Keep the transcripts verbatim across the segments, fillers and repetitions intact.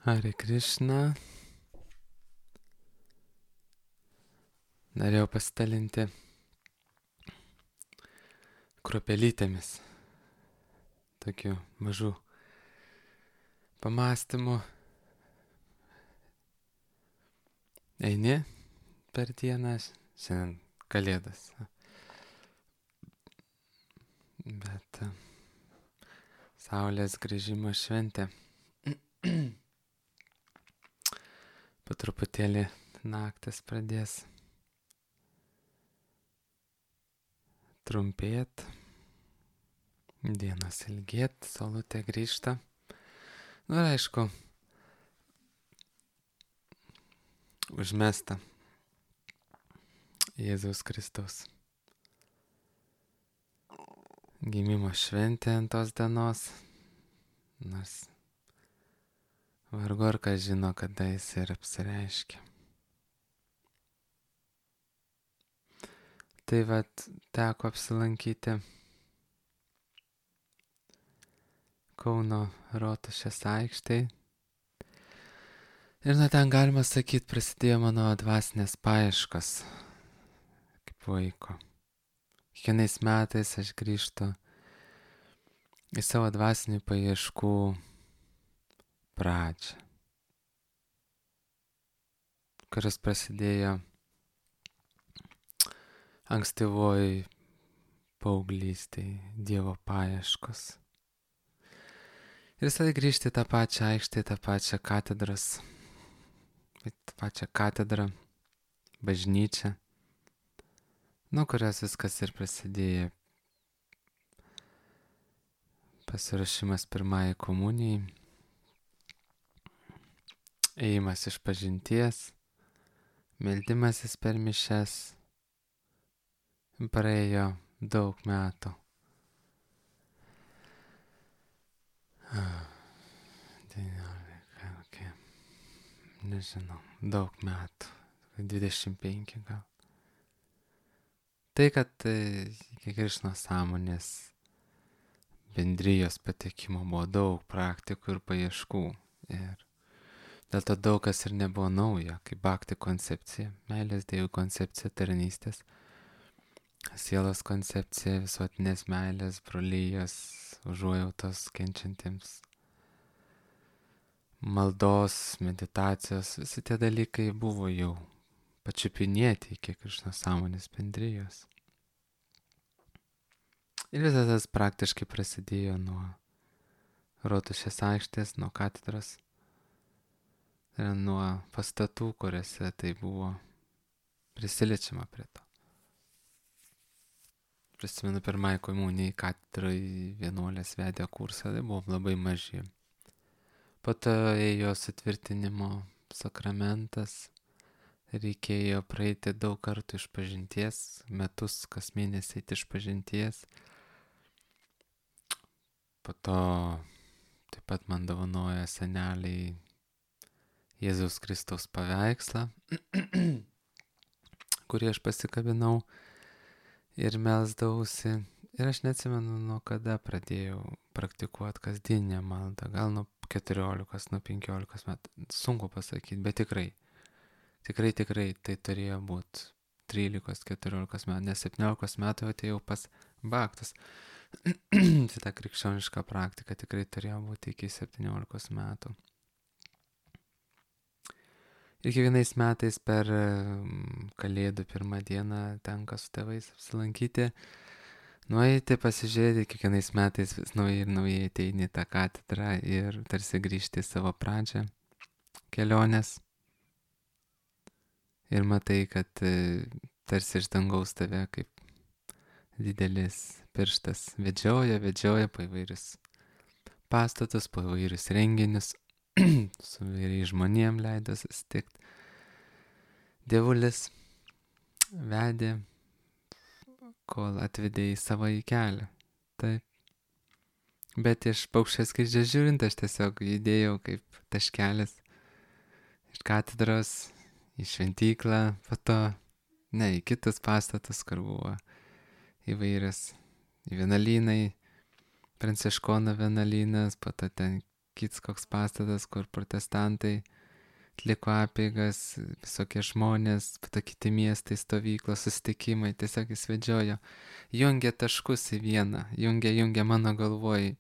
Hare Krishna. Norėjau pasidalinti kruopelytėmis tokių mažų pamastymų. Eini per dieną, šiandien kalėdas. Bet saulės grįžimo šventė. Po truputėlį naktis pradės trumpėt, dienos ilgėt, saulutė grįžta. Nu ir aišku, užmesta Jėzaus Kristaus gimimo šventė ant tos dienos, nors vargu ar kas žino, kada jis ir apsireiškia. Tai vat teko apsilankyti Kauno Rotušės aikštėj. Ir nuo ten, galima sakyti, prasidėjo mano dvasinės paieškos kaip vaiko. Kiekvienais metais aš grįžtu į savo dvasinių paieškų pradžią, kuris prasidėjo ankstyvoj paauglystėj, Dievo paieškos. Ir visada grįžti į tą pačią aikštę, į tą pačią katedros, į tą pačią katedrą, bažnyčią, nuo kurios viskas ir prasidėjo. Pasiruošimas pirmajai komunijai, ėjimas iš pažinties, meldimasis per mišias. Praėjo daug metų. devyniolika, okay. Nežinau, daug metų. dvidešimt penki gal. Tai, kad iki Krišnos sąmonės bendrijos patekimo buvo daug praktikų ir paieškų. Ir dėl to daug kas ir nebuvo naujo, kaip bhakti koncepcija, meilės dievų koncepcija, tarnystės, sielos koncepcija, visuotinės meilės, brolijos, užuojautos kenčiantiems, maldos, meditacijos, visi tie dalykai buvo jau pačiupinėti iki Krišnos sąmonės bendrijos. Ir visas tas praktiškai prasidėjo nuo Rotušės aikštės, nuo katedros, ir nuo pastatų, kuriuose tai buvo prisiliečiama prie to. Prisimenu, pirmai komunijai katedrai vienuolės vedė kursą, tai buvom labai maži. Po to ėjo sutvirtinimo sakramentas, reikėjo praeiti daug kartų iš pažinties, metus kas mėnesį eiti iš pažinties. Po to taip pat man dovanojo seneliai Jėzaus Kristaus paveikslą, kurį aš pasikabinau ir melsdavausi. Ir aš neatsimenu, nuo kada pradėjau praktikuoti kasdieninę maldą. Gal nuo keturiolikos, nuo penkiolikos metų. Sunku pasakyti, bet tikrai. Tikrai, tikrai tai turėjo būti trylikos, keturiolikos metų, nes septyniolikos metų atėjau pas bhaktus. Tai ta krikščioniška praktika tikrai turėjo būti iki septyniolikos metų. Ir kiekvienais metais per Kalėdų pirmą dieną tenka su tėvais apsilankyti, nueiti, pasižiūrėti, kiekvienais metais vis naujai ir naujai ateini į tą katedrą ir tarsi grįžti į savo pradžią kelionės. Ir matai, kad tarsi iš dangaus tave kaip didelis pirštas vedžioja, vedžioja po įvairius pastatus, po įvairius renginius, su įvairiais žmonėm leido susitikti. Dievulis vedė, kol atvedė į savo į kelią. Taip. Bet iš paukščio skrydžio žiūrint, aš tiesiog judėjau kaip taškelis iš katedros į šventyklą, po to, ne, į kitus pastatus, kur buvo įvairias vienuolynai, Pranciškonų vienuolynas, po to ten kits koks pastatas, kur protestantai atliko apeigas, visokie žmonės, po to kiti miestai, stovyklos, susitikimai, tiesiog jis vedžiojo, jungia taškus į vieną, jungia, jungia mano galvoj,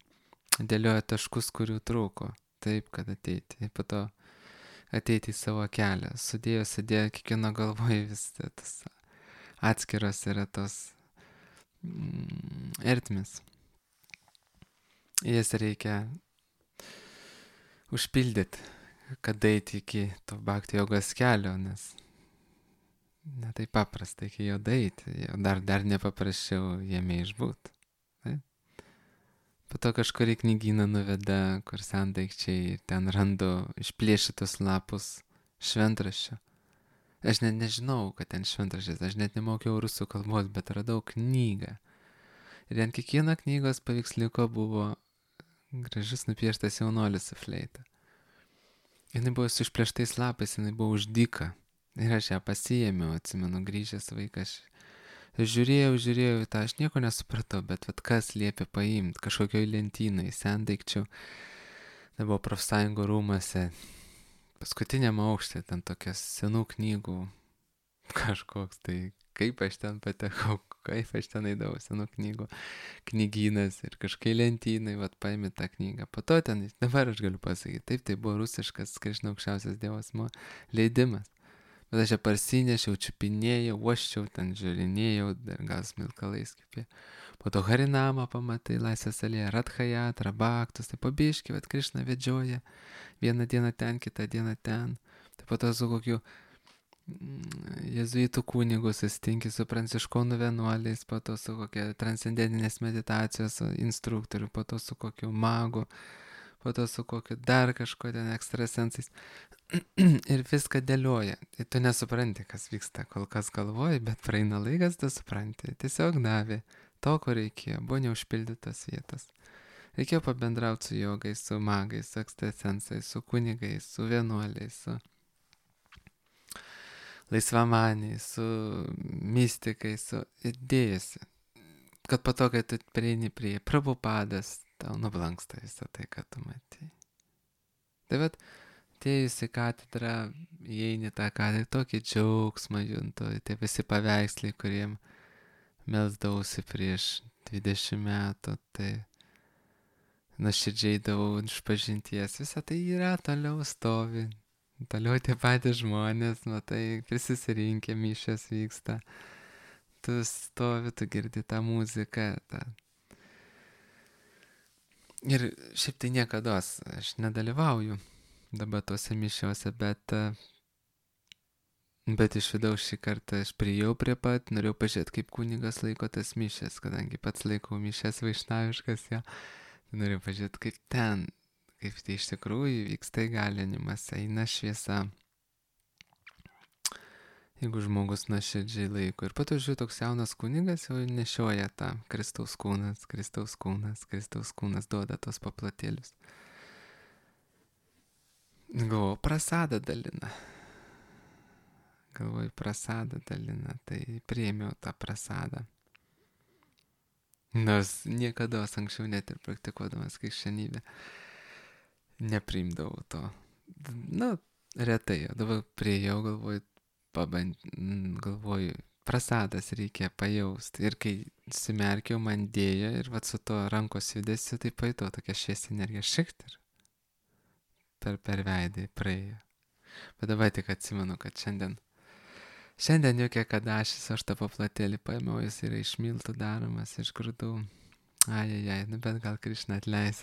dėlioja taškus, kurių trūko, taip, kad ateiti, po to ateiti į savo kelią, sudėjo, sudėjo, kiekvieno galvoj vis tas atskiros yra tos mm, ertmis. Jas reikia užpildyti, kad eiti iki to bhakti jogos kelio, nes ne taip paprasta iki jo eiti, dar, dar nepaprasčiau jame išbūt. Tai? Po to kažkurį knygyną nuveda, kur sendaikčiai, ten randu išplėšytus lapus šventraščio. Aš net nežinau, kad ten šventraštis, aš net nemokiau rusų kalbos, bet radau knygą. Ir ant kiekvieno knygos paveiksliuko buvo gražus nupieštas jaunuolis su fleita. Jis buvo su išplėštais lapais, jis buvo už dyką. Ir aš ją pasiėmiau, atsimenu, grįžęs vaikas. Aš žiūrėjau, žiūrėjau į tą, aš nieko nesupratau, bet vat kas liepė paimti kažkokioj lentynai, sendaikčių. Tai buvo profsąjungų rūmose. Paskutiniam aukšte ten tokias senų knygų kažkoks, tai kaip aš ten patekau, kaip aš ten eidavau, senų knygų knygynas ir kažkai lentynai, vat paėmė tą knygą. Po to ten, dabar aš galiu pasakyti, taip, tai buvo rusiškas Krišna aukščiausias dievas leidimas. Bet aš ją parsinešiau, čiupinėjau, uoščiau, ten žiūrinėjau, dar gal smilkalais kipė. Po to Harinamą pamatai, Laisvės alėja, Radhajat, Rabaktus, tai pabiški, vat Krišna vedžioja. Vieną dieną ten, kitą dieną ten. Tai po to su kokiu jezuitų kunigu susitinki, su pranciškonų vienuoliais, po to su kokia transcendentinės meditacijos instruktoriu, po to su kokiu magu, po to su kokiu dar kažko ten ekstrasensais. Ir viską dėlioja. Tai tu nesupranti, kas vyksta, kol kas galvoji, bet praeina laikas, tu supranti. Tiesiog davė to, ko reikėjo, buvo neužpildytos vietos. Reikėjo pabendrauti su jogais, su magais, su ekstrasensais, su kunigais, su vienuoliais, su laisvamaniais, su mystikais, su idėjasi. Kad po to, kai tu prieini prie Prabhupadas, tau nublanksta visą tai, ką tu matai. Tai vat, atėjus į katedrą, įeini tą katedrą, tokį džiaugsmą juntu, tie visi paveiksliai, kuriem melsdavausi prieš dvidešimt metų, tai nuoširdžiai davau išpažinties, visą tai yra, toliau stovi, toliau tie patys žmonės, matai, prisisirinkę, mišios vyksta, tu stovi, tu girdi tą muziką. Ta. Ir šiaip tai niekados, aš nedalyvauju dabar tuose mišiuose, bet, bet iš vidaus šį kartą aš priėjau prie pat, norėjau pažiūrėti, kaip kunigas laiko tas mišes, kadangi pats laikau mišes vaišnaviškas, jo. Noriu pažiūrėti, kaip ten, kaip tai iš tikrųjų vyksta įgalinimas, eina šviesa, jeigu žmogus nuoširdžiai laiko. Ir po to žiūrėjau, toks jaunas kunigas jau nešioja tą Kristaus kūnas, Kristaus kūnas, Kristaus kūnas duoda tos paplotėlius. Galvoju, prasadą dalina. Galvoju, prasadą dalina, tai priėmiau tą prasadą. Nors niekada anksčiau net ir praktikuodamas krikščionybę nepriimdavau to. Na, retai, dabar priėjau, galvoju, paband... galvoju, prasadas reikia pajausti. Ir kai simerkiau, man dėjo ir vat su to rankos judesiu, tai pajutau tokia šviesi energija šikt ir per, per veidį praėjo. Bet dabar tik atsimenu, kad šiandien Šiandien jokia kadašis, aš tą paplotėlį paėmiau, jis yra iš miltų daromas, iš grūdų. Ajajai, nu bet gal Krišna atleis.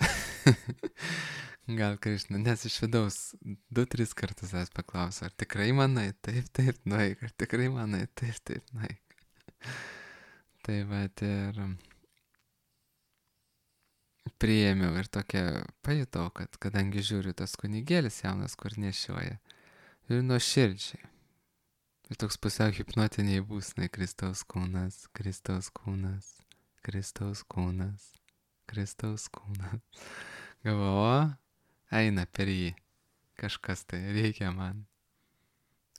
Gal Krišna, nes iš vidaus du, tris kartus aš paklausiau, ar tikrai manai, taip, taip, nueik, ar tikrai manai, taip, taip, nueik. Tai va, ir priėmiau ir tokia pajutau, kad kadangi žiūriu tas kunigėlis jaunas, kur nešioja, ir nuoširdžiai. Ir toks pusiau hipnotiniai būsnai, Kristaus kūnas, Kristaus kūnas, Kristaus kūnas, Kristaus kūnas. Galvoju, eina per jį, kažkas tai reikia man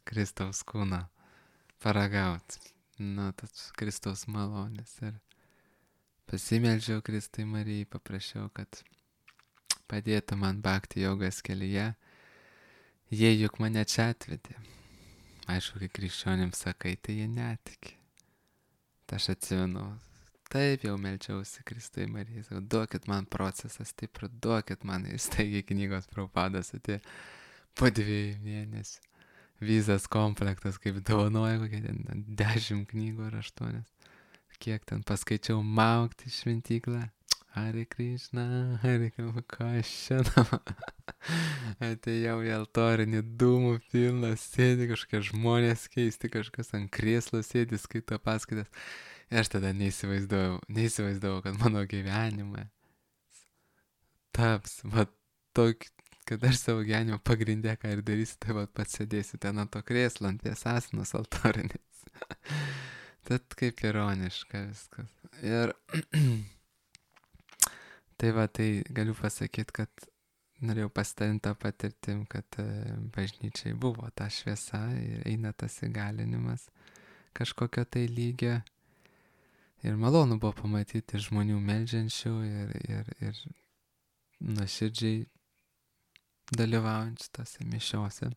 Kristaus kūną paragauti, nu, tas Kristaus malonės. Ir pasimeldžiau Kristai Marijai, paprašiau, kad padėtų man bhakti jogos kelyje. Jie juk mane čia atvedė. Aišku, kai krikščionims sakai, tai jie netiki. Tai aš atsimenu, taip jau melčiausi Kristui Marijai, sakau, duokit man procesą stiprų, duokit man įstaigiai knygos Prabhupadas atėjo po dviejų mėnesių. Vizas komplektas, kaip dovanoja, kokie ten dešimt knygų ar aštuonias. Kiek ten paskaičiau maukti šventyklą. Hare Krishna, Hare Krishna, ką aš šiandien atėjau į altorinį dūmų pilną, sėdi kažkokie žmonės keisti, kažkas ant krėslo sėdi, skaito paskaitas. Ir aš tada neįsivaizdavau, neįsivaizdavau, kad mano gyvenime taps, va, tokį, kad aš savo gyvenimo pagrindė, ką ir darysiu, tai va, pats sėdėsiu ten ant to krėslo, ant tiesasinos altorinės. Tad kaip ironiška viskas. Ir tai va, tai galiu pasakyti, kad norėjau pasidalinti tą patirtim, kad bažnyčiai buvo ta šviesa ir eina tas įgalinimas kažkokio tai lygio. Ir malonu buvo pamatyti žmonių meldžiančių ir, ir, ir nuoširdžiai dalyvaujančių tose mišiose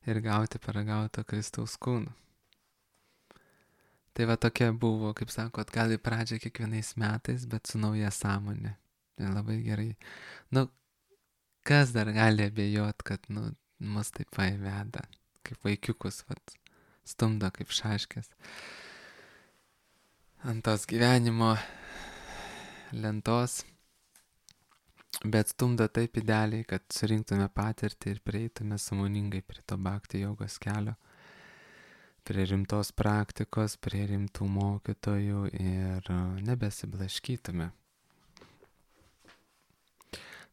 ir gauti paragauto Kristaus kūną. Tai va tokia buvo, kaip sakot, gal į pradžią kiekvienais metais, bet su nauja sąmonė. Ir labai gerai. Nu, kas dar gali abejot, kad, nu, mus taip paiveda, kaip vaikiukus, vat, stumdo kaip šaškės. Ant tos gyvenimo lentos, bet stumdo taip idealiai, kad surinktume patirtį ir prieitume sąmoningai prie to bhakti jogos kelio. Prie rimtos praktikos, prie rimtų mokytojų ir nebesiblaškytume.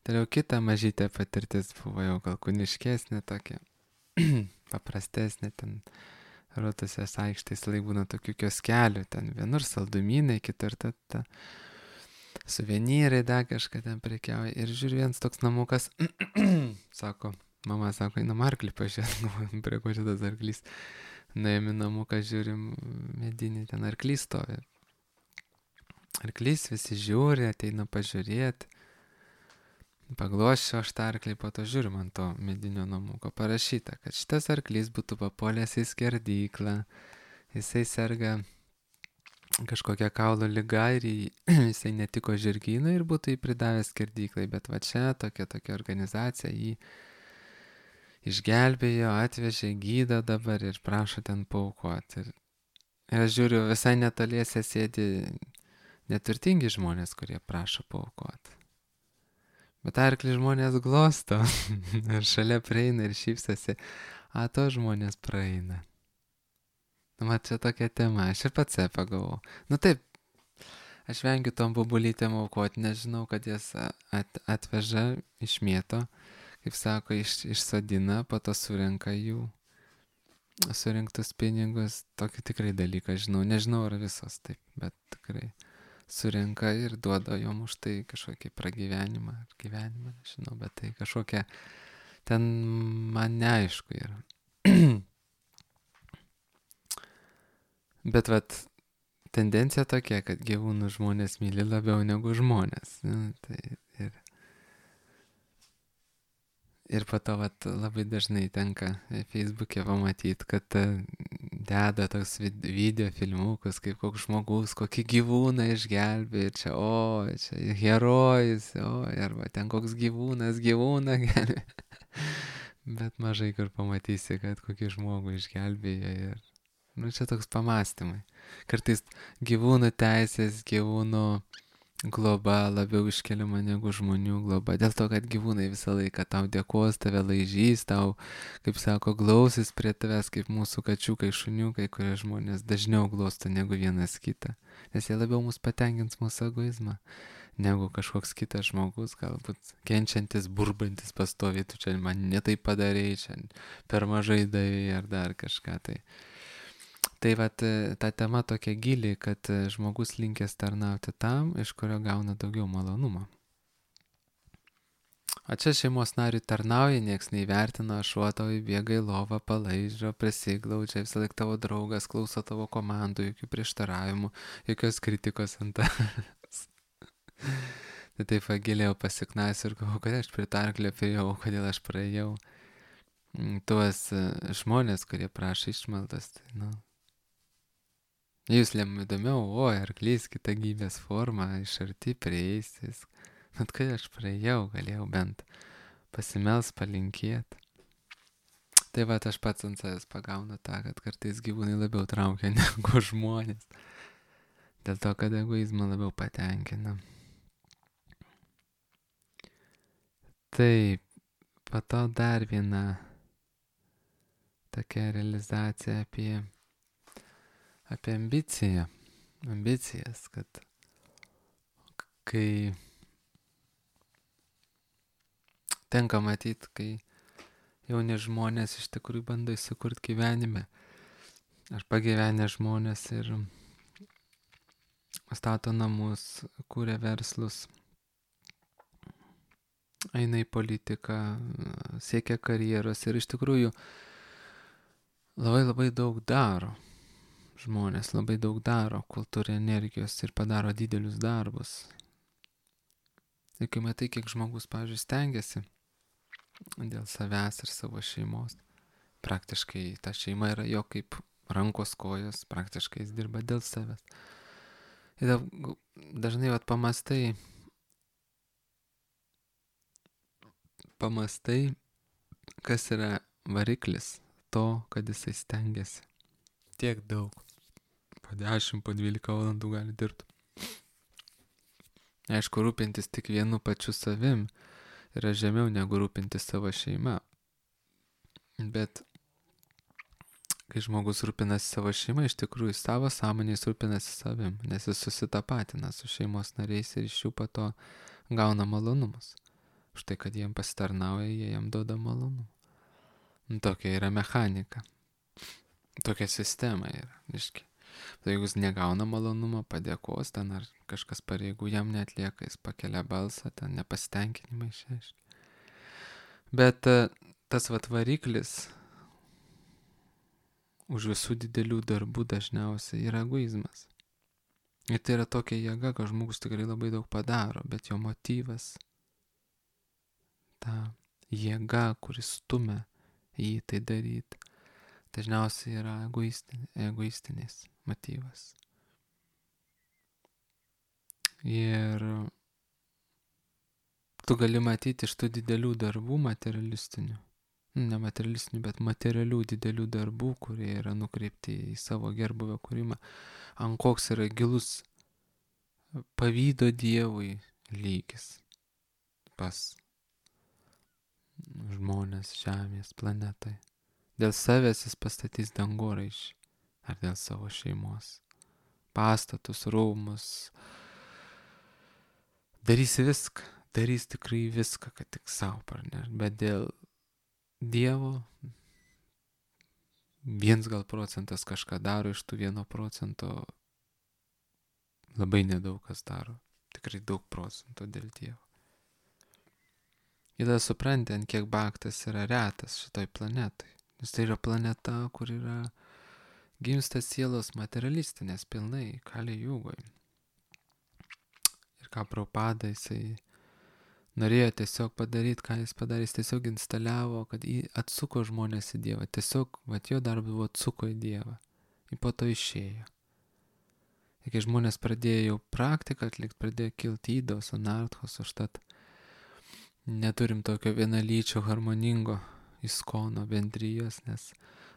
Toliau kita mažytė patirtis buvo jau gal kūniškesnė tokia, paprastesnė, ten Rotušės aikštės laik būna tokių kioskelių, ten vienur saldumynai, kitur ta, ta suvenyrai, dar kažką ten prekiauja. Ir žiūri, vienas toks namukas, sako, mama sako, einam arklį pažiūrėt, prie ko šitas arklys. Nuėjom į namuką, žiūrim, medinį ten arklys stovi. Arklys visi žiūri, ateina pažiūrėti. Pagloščiau aš tą arklį, po to žiūrim ant to medinio namuko parašyta, kad šitas arklys būtų papuolęs į skerdyklą. Jisai serga kažkokia kaulo liga ir jisai netiko žirgynui ir būtų jį pridavęs skerdyklai. Bet va čia tokia tokia organizacija jį išgelbėjo, atvežė, gydo dabar ir prašo ten paaukoti. Ir, ir aš žiūriu, visai netoliese sėdi neturtingi žmonės, kurie prašo paaukoti. Bet arklį žmonės glosto ir šalia prieina ir šypsosi, a to žmonės praeina. Nu, man čia tokia tema, aš ir pats pagalvojau. Nu taip, aš vengiu tom bubulytėm aukoti, nežinau, kad jas at, atveža, išmėto. Kaip sako, iš, išsodina, po to surenka jų surinktus pinigus. Tokį tikrai dalyką žinau. Nežinau, ar visos taip, bet tikrai surenka ir duoda jom už tai kažkokį pragyvenimą. Ar gyvenimą, nežinau, bet tai kažkokia ten man neaišku yra. Bet vat tendencija tokia, kad gyvūnų žmonės myli labiau negu žmonės. Nu, tai ir Ir po to vat, labai dažnai tenka Facebook'e pamatyti, kad deda toks video filmukus, kaip koks žmogus, kokį gyvūną išgelbė, čia, o, čia herojus, o, arba ten koks gyvūnas, gyvūną gelbė. Bet mažai kur pamatysi, kad kokį žmogų išgelbėja ir, nu, čia toks pamastymai. Kartais gyvūnų teisės, gyvūnų globa labiau iškeliama negu žmonių globa. Dėl to, kad gyvūnai visą laiką tau dėkos, tave laižys, tau, kaip sako, glausis prie tavęs, kaip mūsų kačiukai, šuniukai, kurie žmonės dažniau glosto negu vienas kitą. Nes jie labiau mus patenkins mūsų egoizmą, negu kažkoks kitas žmogus, galbūt kenčiantis, burbantis pastoviai, tu čia man netai padarei, čia per mažai davei ar dar kažką tai. Tai vat, ta tema tokia gili, kad žmogus linkęs tarnauti tam, iš kurio gauna daugiau malonumo. O čia šeimos nariui tarnauja, nieks neįvertina, šuo tau įbėga į lovą, palaižo, prisiglaudžia, visą laiką tavo draugas, klauso tavo komandų, jokių prieštaravimų, jokios kritikos ant tavęs. Tai taip pagilėjau pasiknais ir galvoju, kad aš pritarklėpėjau, kodėl aš praėjau tuos žmonės, kurie prašo išmaldas. Tai, nu, jūs lėm įdomiau, oi, arklys, kita gyvės forma, iš arti prieistis. Bet kai aš praėjau, galėjau bent pasimels, palinkėti. Tai va, aš pats ant savęs pagaunu tą, kad kartais gyvūnai labiau traukia negu žmonės. Dėl to, kad egoizmą labiau patenkina. Taip, po to dar viena tokia realizacija apie, apie ambiciją. Ambicijas, kad kai tenka matyti, kai jauni žmonės iš tikrųjų bando įsikurti gyvenime. Ar pagyvenę žmonės ir stato namus, kūrė verslus, eina į politiką, siekia karjeros ir iš tikrųjų labai labai daug daro. Žmonės labai daug daro, kol turi energijos ir padaro didelius darbus. Ir kai matai, kiek žmogus, pavyzdžiui, stengiasi dėl savęs ir savo šeimos, praktiškai ta šeima yra jo kaip rankos kojos, praktiškai jis dirba dėl savęs. Ir dažnai vat pamastai, pamastai, kas yra variklis to, kad jisai stengiasi. Tiek daug. Po dešimt, po dvylika valandų gali dirbti. Aišku, rūpintis tik vienu pačiu savim yra žemiau negu rūpintis savo šeima. Bet kai žmogus rūpinasi savo šeimą, iš tikrųjų savo sąmonės rūpinasi savim, nes jis susitapatina su šeimos nariais ir iš jų po to gauna malonumus. Už tai, kad jiem pasitarnauja, jie jam duoda malonumą. Tokia yra mechanika. Tokia sistema yra, reiškia. Tai jeigu jis negauna malonumą, padėkos ten ar kažkas pareigų jam neatlieka, jis pakelia balsą, ten nepasitenkinimą išreiškia. Bet tas vat variklis už visų didelių darbų dažniausiai yra egoizmas. Ir tai yra tokia jėga, kad žmogus tikrai labai daug padaro, bet jo motyvas, ta jėga, kuris stumia jį tai daryti, dažniausiai yra egoistin, egoistinis motyvas. Ir tu gali matyti iš tų didelių darbų materialistinių, ne materialistinių, bet materialių didelių darbų, kurie yra nukreipti į savo gerbuvio kūrimą, ant koks yra gilus pavydo Dievui lygis pas žmonės žemės planetai. Dėl savęs jis pastatys dangoraižį, ar dėl savo šeimos. Pastatus, rūmus. Darys viską, darys tikrai viską, kad tik savo parneš. Bet dėl Dievo viens gal procentas kažką daro, iš tų vieno procento labai nedaug kas daro. Tikrai daug procentų dėl Dievo. Ir tada supranti, ant kiek baktas yra retas šitoj planetai. Nes tai yra planeta, kur yra gimsta sielos materialistinės pilnai, Kali Jugoj. Ir ką Prabhupada jisai norėjo tiesiog padaryti, ką jis padarė, jis tiesiog instaliavo, kad jį atsuko žmonės į Dievą. Tiesiog, vat jo darbas buvo atsuko į Dievą. Ir po to išėjo. Ir kai žmonės pradėjo jau praktiką atlikti, pradėjo kilti įdos, anarthos, užtat neturim tokio vienalyčio harmoningo iskono bendrijos, nes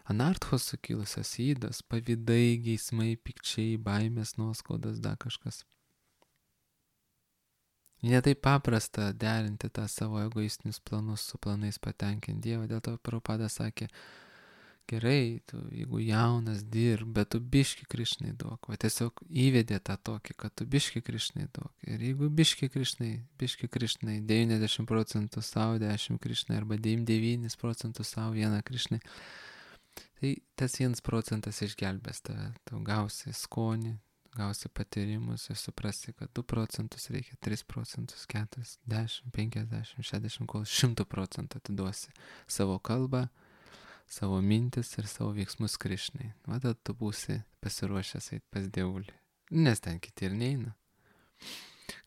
anarthos sukilusios įdos, pavydai, geismai, pikčiai, baimės, nuoskaudas, dar kažkas. Ne taip paprasta derinti tą savo egoistinius planus su planais patenkinti Dievą. Dėl to Prabhupada sakė, gerai, tu jeigu jaunas dirb, bet tu biški Krišnai duok. Va tiesiog įvedė tą tokį, kad tu biški Krišnai duok. Ir jeigu biški Krišnai, biški Krišnai, devyniasdešimt procentų savo, dešimt Krišnai, arba devyniasdešimt devynis procentų savo, vieną Krišnai, tai tas vienas procentas išgelbės tave. Tu gausi skonį, gausi patyrimus ir suprasi, kad du procentus reikia, tris procentus, keturis, dešimt, penkiasdešimt, šešiasdešimt, kol šimtų procentų atiduosi savo kalbą, savo mintis ir savo veiksmus Krišnai. Va tada tu būsi pasiruošęs eiti pas Dievulį. Nes ten kiti ir neina.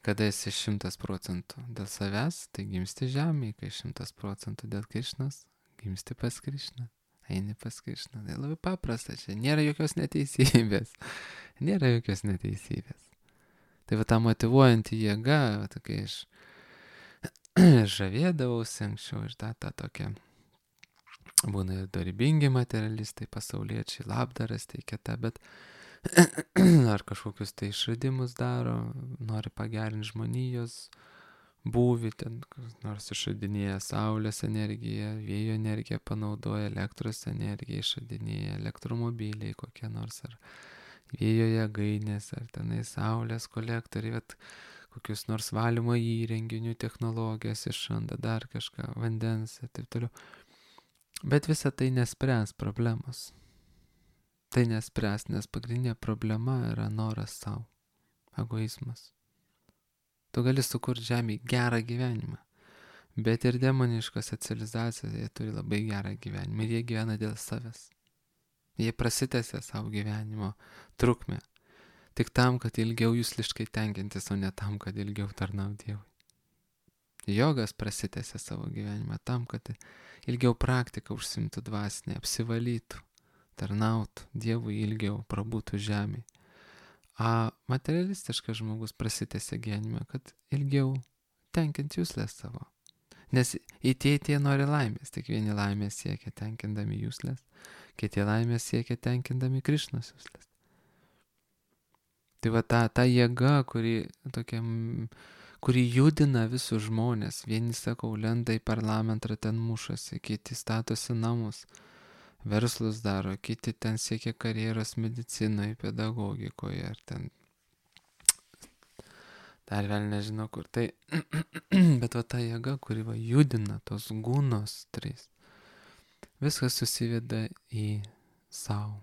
Kada esi šimtas procentų dėl savęs, tai gimsti žemėje, kai šimtas procentų dėl Krišnos, gimsti pas Krišną, eini pas Krišną. Tai labai paprasta, čia nėra jokios neteisybės, nėra jokios neteisybės. Tai va ta motyvuojanti jėga, va, tokia iš žavėdavausi anksčiau ir ta, ta tokia. Būna ir dorybingi materialistai, pasauliečiai, labdaras teikia tą, bet ar kažkokius tai išradimus daro, nori pagerinti žmonijos būvį, ten nors išradinėja saulės energiją, vėjo energiją panaudoja, elektros energiją išradinėja, elektromobiliai kokie nors, ar vėjo jėgainės, ar tenai saulės kolektoriai, bet kokius nors valymo įrenginių technologijas išranda, dar kažką, vandens ir taip toliau. Bet visa tai nespręs problemos. Tai nespręs, nes pagrindinė problema yra noras savo, egoizmas. Tu gali sukurti žemėje gerą gyvenimą, bet ir demoniškose civilizacijose jie turi labai gerą gyvenimą ir jie gyvena dėl savęs. Jie prasitęsia savo gyvenimo trukmę, tik tam, kad ilgiau jusliškai tenkintis, o ne tam, kad ilgiau tarnauti Dievui. Jogas prasitęsia savo gyvenimą tam, kad ilgiau praktiką užsimtų dvasinę, apsivalytų, tarnautų Dievui ilgiau, prabūtų žemėje. A materialistiškas žmogus prasitęsia gyvenimą, kad ilgiau tenkinti juslės savo. Nes į tie tie nori laimės, tik vieni laimės siekia tenkindami juslės, kiti laimės siekia tenkindami Krišnos juslės. Tai va ta, ta jėga, kuri, tokia, kuri judina visus žmonės, vieni, sakau, lenda į parlamentą, ten mušasi, kiti statosi namus, verslus daro, kiti ten siekia karjeros medicinoje, pedagogikoje, ar ten dar vėl nežinau kur. Tai, bet va ta jėga, kuri va judina tos gūnos trys, viskas susiveda į savo.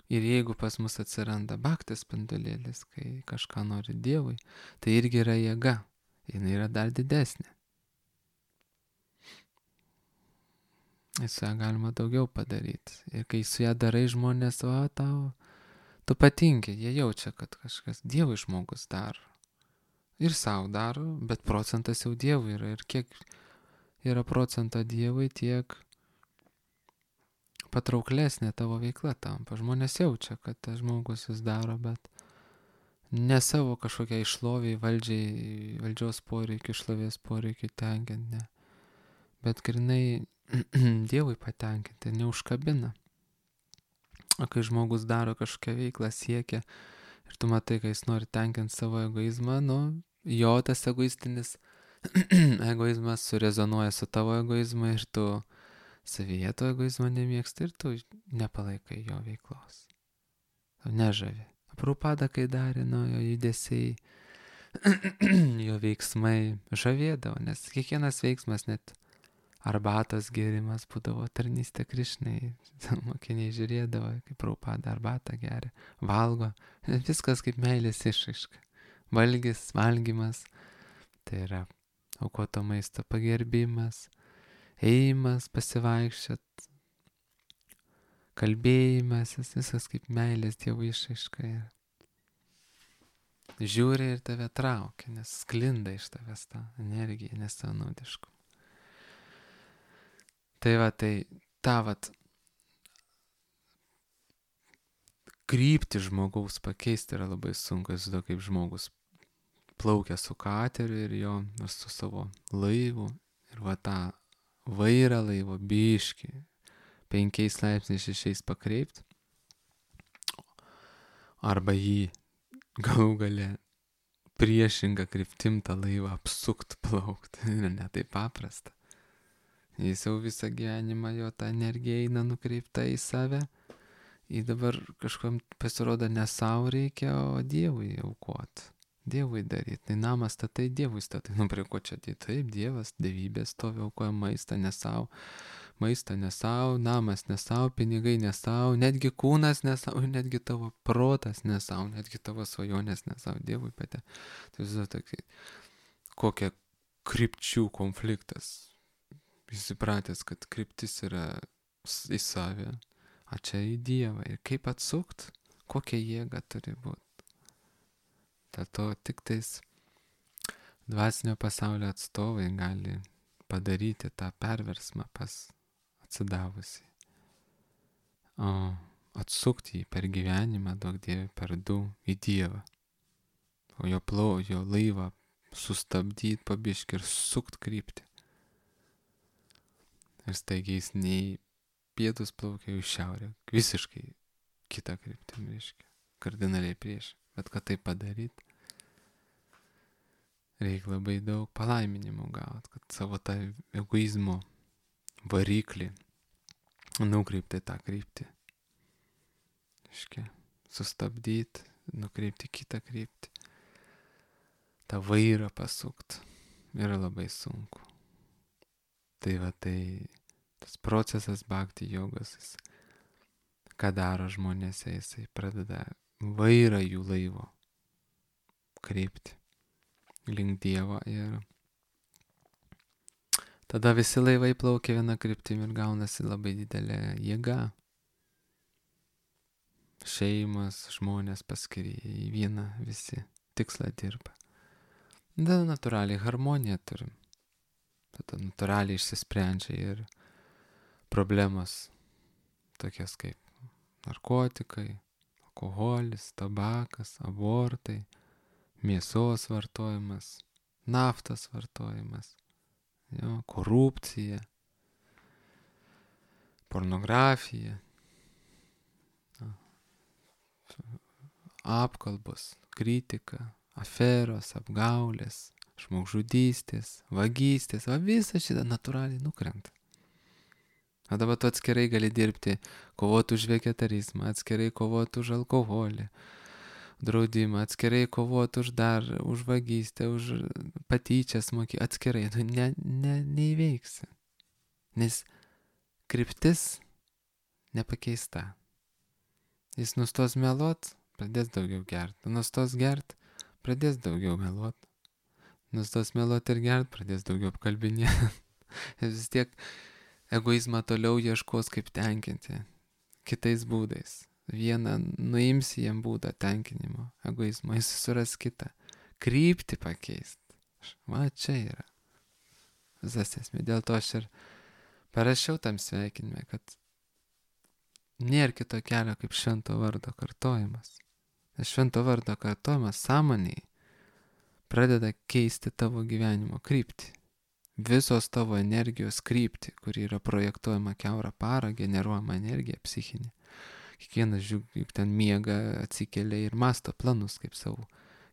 Ir jeigu pas mus atsiranda baktas spindulėlis, kai kažką nori Dievui, tai irgi yra jėga, jinai yra dar didesnė. Ir su ją galima daugiau padaryti. Ir kai su ją darai, žmonės, va, tau, tu patinki, jie jaučia, kad kažkas Dievui žmogus daro. Ir savo daro, bet procentas jau Dievui yra. Ir kiek yra procento Dievui, tiek patrauklesnė tavo veikla tampa. Žmonės jaučia, kad tas žmogus vis daro, bet ne savo kažkokiai šloviai, valdžiai, valdžios poreikiai, šlovės poreikiai tenkinti, ne. Bet grinai Dievui patenkinti, neužkabina. O kai žmogus daro kažkokią veiklą, siekia ir tu matai, kai jis nori tenkinti savo egoizmą, nu, jo tas egoistinis egoizmas surezonuoja su tavo egoizmu ir tu savyje to egoizmo nemėgsti ir tu nepalaikai jo veiklos. Tu nežavi. Prabhupada, kai darė, nu, jo judesiai, jo veiksmai žavėdavo, nes kiekvienas veiksmas, net arbatos gėrimas būdavo tarnystė Krišnai. Mokiniai žiūrėdavo, kaip Prabhupada arbatą geria, valgo. Viskas kaip meilės išraiška. Valgis, valgymas, tai yra aukoto maisto pagerbimas, ėjimas, pasivaikščiot, kalbėjimas, viskas kaip meilės Dievo išraiška. Žiūri ir tave traukia, nes sklinda iš tavęs ta energija, nesavanaudiškų. Tai va, tai ta vat kryptį žmogaus pakeisti yra labai sunku. Jis to kaip žmogus plaukia su kateriu ir jo su savo laivu ir va tą vairą laivo biškį penkiais laipsniais šešiais pakreipti arba jį galų gale priešingą kryptim tą laivą apsukt, plaukt. Ir ne taip paprasta. Jis jau visą gyvenimą, jo ta energija eina nukreipta į save. Į dabar kažkam pasirodo ne savo reikia, o Dievui aukot. Dievui daryti. Tai namą statai, Dievui statai. Nu prie ko čia tai? Taip, Dievas, dievybės stovi, aukoja maistą ne savo. Maistą ne savo, namas ne savo, pinigai ne savo, netgi kūnas ne savo, netgi tavo protas ne savo, netgi tavo svajonės ne savo. Dievui patė. Tai vis dėlto kokia krypčių konfliktas. Jis įpratęs, kad kryptis yra į savę, o čia į Dievą. Ir kaip atsukt, kokia jėga turi būti. Dėl to tik tais dvasinio pasaulio atstovai gali padaryti tą perversmą pas atsidavusi. O atsukti jį per gyvenimą, daug dievė, per du į Dievą. O jo plau, jo laivą sustabdyti pabiškį ir sukt kryptį. Ir staigiai jis nei pietus plaukia į šiaurę, visiškai kitą kryptimį, reiškia, kardinaliai prieš. Bet kad tai padaryt, reikia labai daug palaiminimų gauti, kad savo tą egoizmo variklį nukreipti tą kryptį. Reiškia, sustabdyti, nukreipti kitą kryptį. tą vairą pasukt yra labai sunku. Tai va tai tas procesas bhakti jogos, jis, ką daro žmonėse, jisai pradeda vairą jų laivo kreipti link Dievo ir tada visi laivai plaukia viena kryptimi ir gaunasi labai didelė jėga. Šeimas, žmonės paskiri į vieną visi tikslą dirba. Tada natūraliai harmoniją turim. Tada natūraliai išsisprendžia ir problemos tokias kaip narkotikai, alkoholis, tabakas, abortai, mėsos vartojimas, naftos vartojimas, jo, korupcija, pornografija, apkalbos, kritika, aferos, apgaulės, žmogžudystės, vagystės, va visa šitą natūraliai nukrenta. O dabar tu atskirai gali dirbti, kovoti už vegetarizmą, atskirai kovoti už alkoholį, draudimą, atskirai kovoti už dar, už vagystę, už patyčias mokyti, atskirai, tu ne, ne, neįveiksi. Nes kryptis nepakeista. Jis nustos meluot, pradės daugiau gert. Nustos gert, pradės daugiau meluot. Nustos meluot ir gert, pradės daugiau apkalbinėti. Vis tiek egoizmą toliau ieškos kaip tenkinti. Kitais būdais. Vieną nuimsi jam būdą tenkinimo, egoizmo, jis suras kitą. Kryptį pakeist. Va, čia yra visas esmė. Dėl to aš ir parašiau tam sveikinime, kad nėra kito kelio kaip švento vardo kartojimas. Nes švento vardo kartojimas sąmoniai pradeda keisti tavo gyvenimo kryptį. Visos tavo energijos kryptį, kuri yra projektuojama kiaurą parą, generuojama energija psichinė. Kiekvienas juk ten miega, atsikelia ir masto planus, kaip savo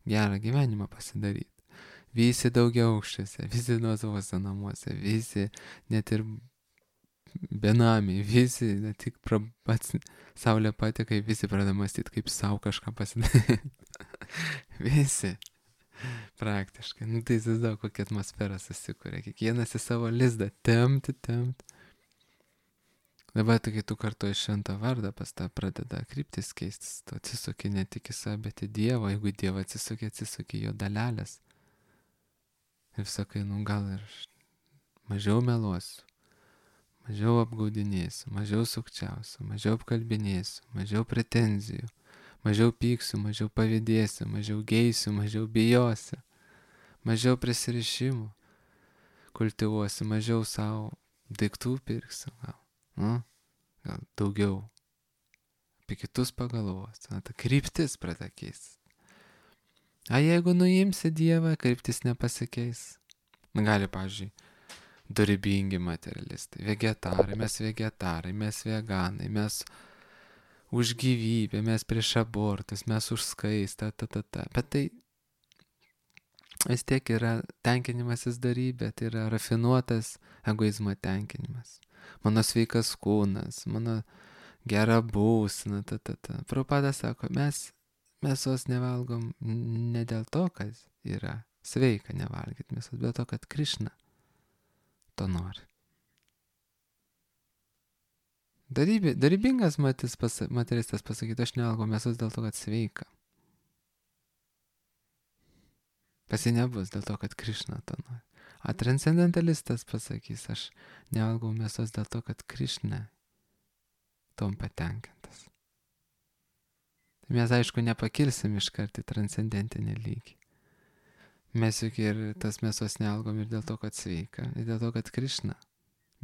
gerą gyvenimą pasidaryti. Visi daugiaaukščiuose, visi nuosavuose namuose, visi net ir benamiai, visi, ne tik pra, pats saulė pateka, visi pradeda mąstyti, kaip savo kažką pasidaryti. Visi. Praktiškai. Nu tai įsivaizduoju, kokia atmosfera susikuria. Kiekvienas į savo lizdą tempti, tempti. Dabar, kai tu kartuoji šventą vardą, pas tą pradeda kryptis keistis. Tu atsisuki ne tik į save, bet į Dievą. Jeigu į Dievą atsisuki, atsisuki jo dalelės. Ir sakai, nu gal ir mažiau meluosiu, mažiau apgaudinėsiu, mažiau sukčiausiu, mažiau apkalbinėsiu, mažiau pretenzijų, mažiau pyksiu, mažiau pavydėsiu, mažiau geisiu, mažiau bijosiu, mažiau prisirišimų kultivuosiu, mažiau savo daiktų pirksiu, gal, nu, gal daugiau apie kitus pagalvosiu. Na, ta kryptis pradeda keistis. A jeigu nuimsi Dievą, kryptis nepasikeis. Gali, pavyzdžiui, dorybingi materialistai, vegetarai, mes vegetarai, mes veganai, mes už gyvybę, mes prieš abortus, mes už skaistą, ta, ta, ta. Bet tai vis tiek yra tenkinimasis dorybė, tai yra rafinuotas egoizmo tenkinimas. Mano sveikas kūnas, mano gera būsena, ta, ta, ta. Prabhupada sako, mes mėsos nevalgom ne dėl to, kad yra sveika nevalgyti mėsos, bet dėl to, kad Krišna to nori. Darybė, darybingas matis, pas, materialistas pasakyti, aš nevalgau mėsos dėl to, kad sveika. Pasi nebus dėl to, kad Krišna to nori. A transcendentalistas pasakys, aš nevalgau mėsos dėl to, kad Krišna tom patenkintas. Tai mes aišku nepakilsim iškart į transcendentinį lygį. Mes juk ir tas mėsos nevalgom ir dėl to, kad sveika, ir dėl to, kad Krišna.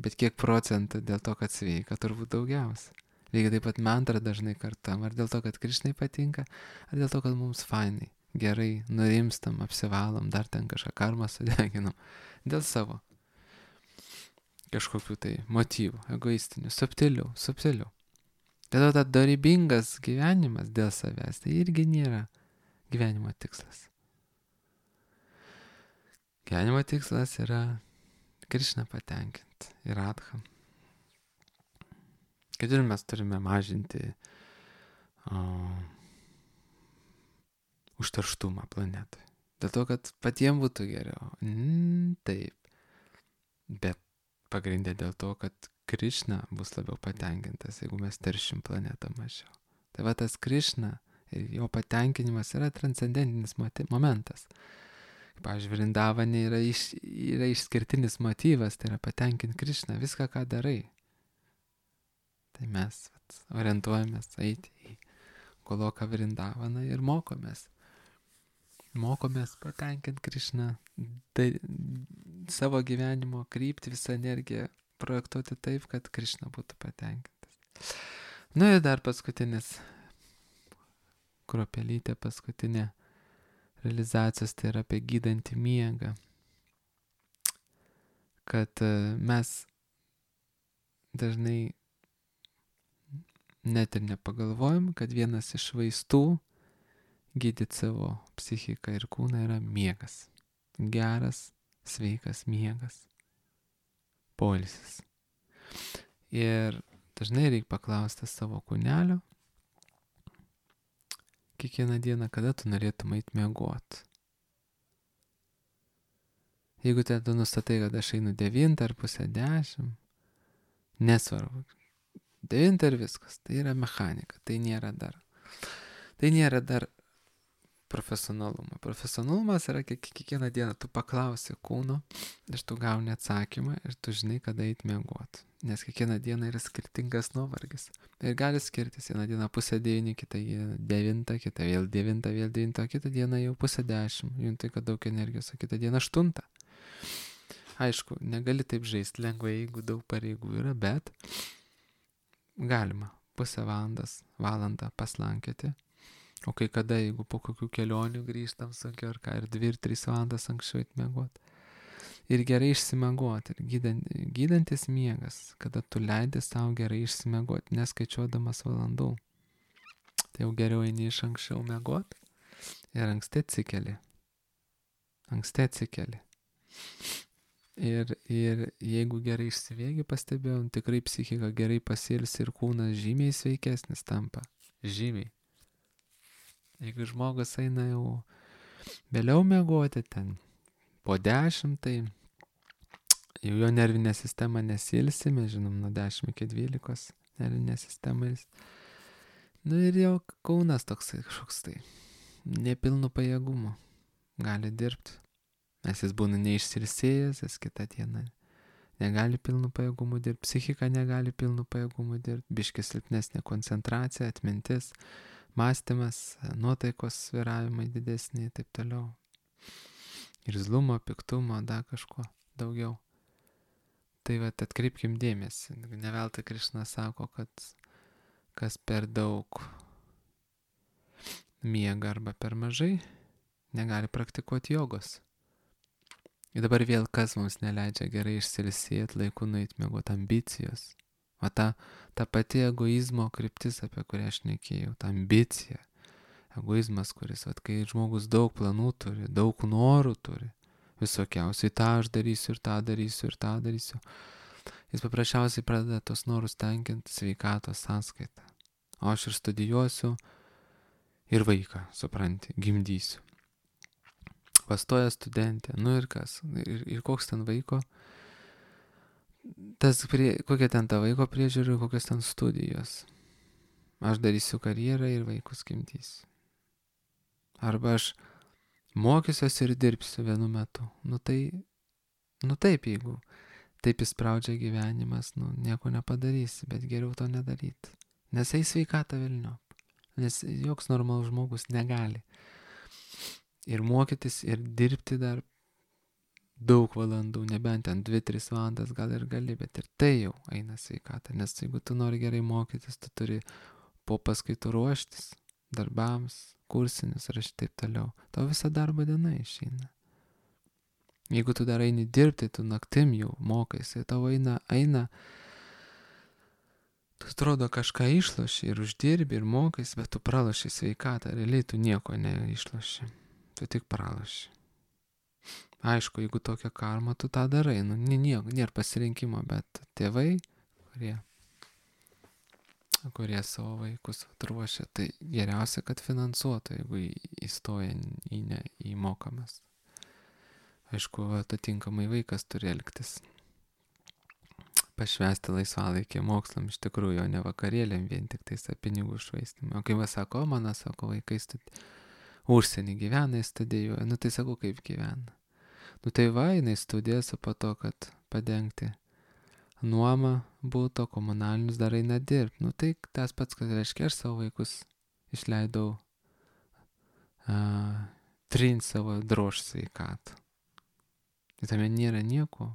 Bet kiek procentų dėl to, kad sveika, turbūt daugiausia. Lygiai taip pat mantrą dažnai kartam, ar dėl to, kad Krišnai patinka, ar dėl to, kad mums fainai, gerai, nurimstam, apsivalom, dar ten kažką karmą sudeginam. Dėl savo kažkokių tai motyvų, egoistinių, subtilių, subtilių. Dėl to, kad dorybingas gyvenimas dėl savęs, tai irgi nėra gyvenimo tikslas. Gyvenimo tikslas yra Krišną patenkinti ir Radhą. Kad ir mes turime mažinti o, užterštumą planetui. Dėl to, kad patiems būtų geriau. Mm, taip. Bet pagrindė dėl to, kad Krišna bus labiau patenkintas, jeigu mes teršim planetą mažiau. Tai va tas Krišna ir jo patenkinimas yra transcendentinis momentas. Pavyzdžiui, Vrindavane yra, iš, yra išskirtinis motyvas, tai yra patenkinti Krišną, viską, ką darai. Tai mes vat, orientuojamės eiti į Goloką Vrindavaną ir mokomės. Mokomės patenkinti Krišną, tai savo gyvenimo kryptį, visą energiją projektuoti taip, kad Krišna būtų patenkintas. Nu ir dar paskutinis, kruopelytė paskutinė realizacijos, tai yra apie gydantį miegą. Kad mes dažnai net ir nepagalvojam, kad vienas iš vaistų gydyti savo psichiką ir kūną yra miegas. Geras, sveikas miegas. Poilsis. Ir dažnai reikia paklausti savo kūnelio, kiekvieną dieną, kada tu norėtum eit miegot. Jeigu tu nustatai, kad aš einu devintą ar pusę dešimt, nesvarbu. Devintą ir viskas. Tai yra mechanika. Tai nėra dar. Tai nėra dar profesionalumo. Profesionalumas yra kiekvieną dieną tu paklausi kūno ir tu gauni atsakymą ir tu žinai, kada eit miegot. Nes kiekvieną dieną yra skirtingas nuovargis. Ir gali skirtis. Vieną dieną pusę devyni, kitą devintą, kitą vėl devintą, vėl devintą, kitą dieną jau pusę dešimt. Juntai, kad daug energijos, o kitą dieną aštuntą. Aišku, negali taip žaisti lengvai, jeigu daug pareigų yra, bet galima pusę valandas, valandą paslankėti. O kai kada, jeigu po kokių kelionių grįžtam sunkiai ar ką, ir dvi ir trys valandas anksčiau eit miegot. Ir gerai išsimiegot. Ir gydant, gydantis miegas, kada tu leidi savo gerai išsimiegot, neskaičiuodamas valandų. Tai jau geriau eini iš anksčiau miegot ir anksti atsikeli. Anksti atsikeli. Ir, ir jeigu gerai išsiviegi, pastebėjom, tikrai psichika gerai pasilsi ir kūnas žymiai sveikesnis tampa. Žymiai. Jeigu žmogus eina jau vėliau miegoti ten po dešimt, tai jau jo nervinė sistema nesilsi, mes žinom, nuo dešimt iki dvylikos nervinė sistema. Nu ir jau kūnas toksai kažkoks tai nepilnu pajėgumu gali dirbti. Nes jis būna neišsilsėjęs, jis kitą dieną negali pilnu pajėgumu dirbti, psichika negali pilnu pajėgumu dirbti, biški silpnesnė koncentracija, atmintis, mąstymas, nuotaikos svyravimai didesni ir taip toliau. Ir zlumo, piktumo, dar kažko daugiau. Tai va, atkreipkim dėmesį. Ne veltui Krišna sako, kad kas per daug miega arba per mažai, negali praktikuoti jogos. Ir dabar vėl kas mums neleidžia gerai išsilsėti, laiku nueit miegot, ambicijos. O ta, ta pati egoizmo kryptis, apie kurią aš šnekėjau, ta ambicija. Egoizmas, kuris, vat, kai žmogus daug planų turi, daug norų turi, visokiausiai tą aš darysiu ir tą darysiu ir tą darysiu. Jis paprasčiausiai pradeda tos norus tenkinti sveikatos sąskaitą. O aš ir studijuosiu ir vaiką, supranti, gimdysiu. Pastoja studentė, nu ir kas, ir, ir koks ten vaiko, tas prie, kokia ten ta vaiko priežiūra, kokios ten studijos. Aš darysiu karjerą ir vaikus gimdysiu. Arba aš mokysiuosi ir dirbsiu vienu metu. Nu tai, nu taip, jeigu taip įspraudžia gyvenimas, nu nieko nepadarysi, bet geriau to nedaryti. Nes eis sveikata velniop. Nes joks normalus žmogus negali. Ir mokytis, ir dirbti dar daug valandų, nebent ten dvi tris valandas gal ir gali, bet ir tai jau eina sveikata. Nes jeigu tu nori gerai mokytis, tu turi po paskaitų ruoštis darbams, kursinius ir taip toliau. Tau visą darbo diena išeina. Jeigu tu dar eini dirbti, tu naktim jau mokaisi, tau eina, eina, tu atrodo kažką išloši ir uždirbi ir mokais, bet tu praloši sveikatą, realiai tu nieko neišloši, tu tik praloši. Aišku, jeigu tokia karma, tu tą darai, nu nieko, nėra pasirinkimo, bet tėvai, kurie, kurie savo vaikus atruošia, tai geriausia, kad finansuotų, jeigu įstoja į, ne, į mokamas. Aišku, atitinkamai vaikas turi elgtis. Pašvęsti laisvalaikį mokslam iš tikrųjų, o ne vakarėlėm vien tik tais pinigų švaistymą. O kai va sako, mano, sako, vaikai studi... užsienį gyvena, studijuoja, nu tai sakau, kaip gyvena. Nu tai va, jinai studijas, o po to, kad padengti nuomą būto, komunalinius dar eina dirbti. Nu tai tas pats, kad reiškia, aš savo vaikus išleidau a, trint savo drož sveikatą. Tai tame nėra nieko.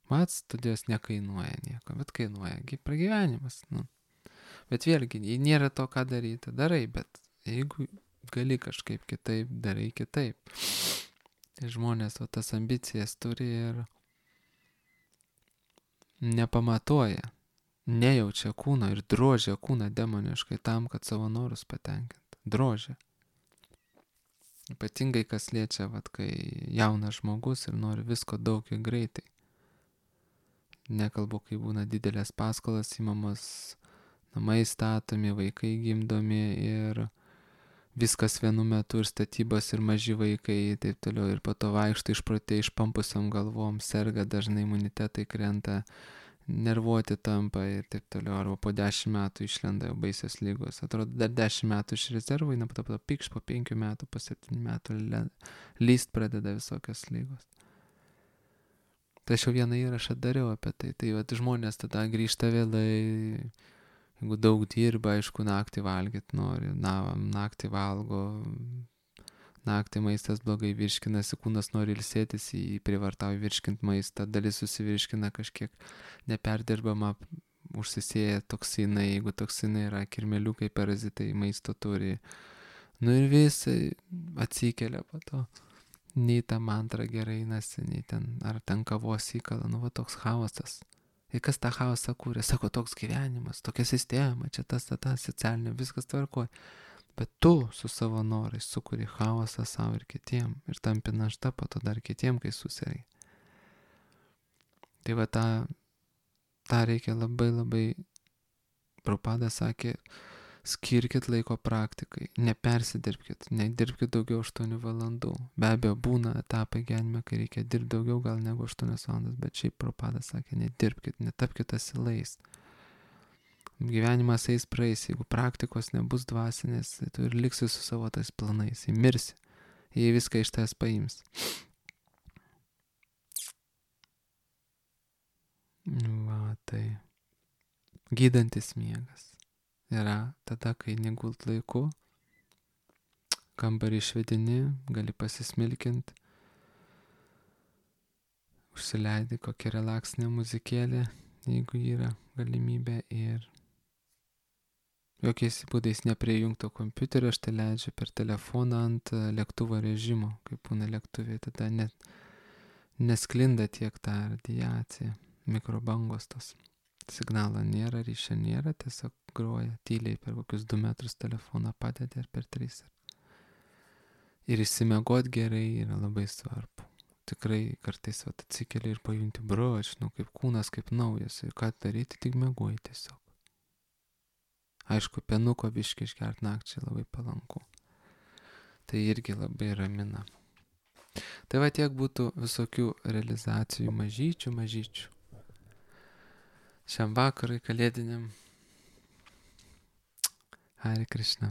Mat, studijos nekainuoja nieko, bet kainuoja pragyvenimas. Nu. Bet vėlgi, jei nėra to, ką daryti, darai, bet jeigu gali kažkaip kitaip, darai kitaip. Tai žmonės o tas ambicijas turi ir nepamatuoja, nejaučia kūno ir drožia kūną demoniškai tam, kad savo norus patenkintų. Drožia. Ypatingai kas liečia, vat, kai jaunas žmogus ir nori visko daug ir greitai. Nekalbu, kai būna didelės paskolas įmamos, namai statomi, vaikai gimdomi ir viskas vienu metu ir statybos ir maži vaikai ir taip toliau. Ir po to vaikšto išprotė išpampusiam galvom, serga dažnai imunitetai krenta, nervuoti tampa ir taip toliau. Arba po dešimt metų išlenda jau baisios lygos. Atrodo, dar dešimt metų iš rezervų, eina po to pikš, po penkių metų, po septynių metų lyst pradeda visokios lygos. Tai aš jau vieną įrašą dariau apie tai. Tai vat, žmonės tada grįžta vėlai, jeigu daug dirba, aišku, naktį valgyti nori, na, naktį valgo, naktį maistas blogai virškinasi, kūnas nori ilsėtis, jį privartauja virškinti maistą, dalis susivirškina kažkiek neperdirbama, užsisėja toksinai, jeigu toksinai yra kirmeliukai, parazitai, maisto turi. Nu ir visai atsikelia po to. Nei tą mantrą gerai einasi, nei ten, ar ten kavos įkala, nu va toks chaosas. Ir kas tą chaosą kūrė? Sako, toks gyvenimas, tokia sistema, čia tas, tas, tas, socialinė, viskas tvarkoja. Bet tu su savo norais sukuri chaosą savo ir kitiem. Ir tampi našta po to dar kitiem, kai susirei. Tai va tą, tą reikia labai labai, Prabhupada sakė, skirkit laiko praktikai, nepersidirbkit, nedirbkit daugiau aštuonių valandų. Be abejo, būna etapai gyvenime, kai reikia dirbti daugiau gal negu aštuonias valandas, bet šiaip Prabhupada sakė, nedirbkit, netapkit asilais. Gyvenimas eis praeis, jeigu praktikos nebus dvasinės, tai tu ir liksi su savo tais planais, įmirsi, jei viską iš tavęs paims. Va, tai gydantis miegas yra tada, kai negult laiku, kambarį išvedini, gali pasismilkinti, užsileidi kokią relaksinę muzikėlę, jeigu yra galimybė, ir jokiais būdais neprijungto kompiuterio, aš tai leidžiu per telefoną ant lėktuvo režimo, kaip būna lėktuvė, tada net nesklinda tiek tą radiaciją, mikrobangos tos. Signalo nėra, ryšio nėra, tiesiog groja tyliai per kokius du metrus telefoną padedi ir per tris. Ir išsimiegot gerai yra labai svarbu. Tikrai kartais vat, atsikeli ir pajunti, bro, aš žinau, kaip kūnas, kaip naujas, ir ką daryti, tik miegoji tiesiog. Aišku, penuko biškį išgert nakčiai labai palanku. Tai irgi labai ramina. Tai va tiek būtų visokių realizacijų mažyčių, mažyčių. Šiam vakarui kalėdiniam. Hare Krishna.